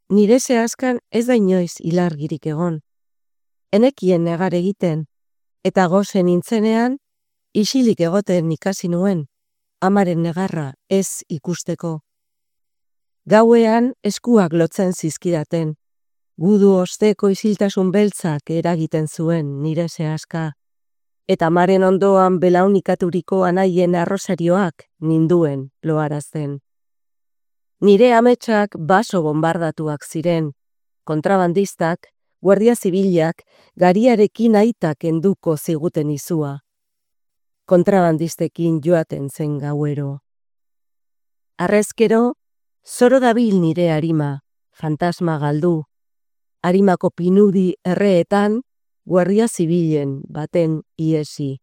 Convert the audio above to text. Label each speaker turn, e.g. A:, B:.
A: Nire zehazkan ez da inoiz ilargirik egon. Enekien negar egiten, eta gozen nintzenean, isilik egoten ikasi nuen, amaren negarra ez ikusteko. Gauean eskuak lotzen zizkidaten, gudu osteko isiltasun beltzak eragiten zuen nire zehazka, eta amaren ondoan belaunikaturik anaien arrosarioak ninduen loarazten. Nire ametsak baso bombardatuak ziren, kontrabandistak, guardia zibilak, gariarekin aitak enduko ziguten izua. Kontrabandistekin joaten zen gauero. Arrezkero, zoro dabil nire arima, fantasma galdu. Arimako pinudi erreetan, guardia zibilen baten iesi.